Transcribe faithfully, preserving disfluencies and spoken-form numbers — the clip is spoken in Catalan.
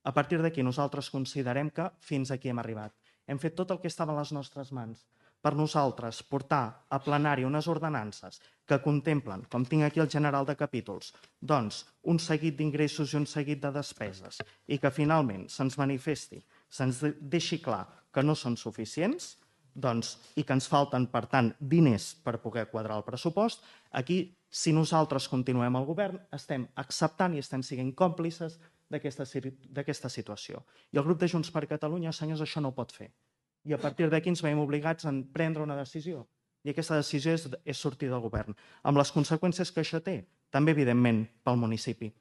A partir d'aquí nosaltres considerem que fins aquí hem arribat. Hem fet tot el que estava a les nostres mans. Per nosaltres, portar a plenari unes ordenances que contemplen, com tinc aquí el general de capítols, doncs un seguit d'ingressos i un seguit de despeses i que finalment se'ns manifesti, se'ns deixi clar que no són suficients doncs, i que ens falten, per tant, diners per poder quadrar el pressupost, aquí, si nosaltres continuem al govern, estem acceptant i estem sent còmplices d'aquesta situació. I el grup de Junts per Catalunya, senyors, això no ho pot fer. I a partir d'aquí ens veiem obligats a prendre una decisió. I aquesta decisió és, és sortir del govern, amb les conseqüències que això té, també, evidentment, pel municipi.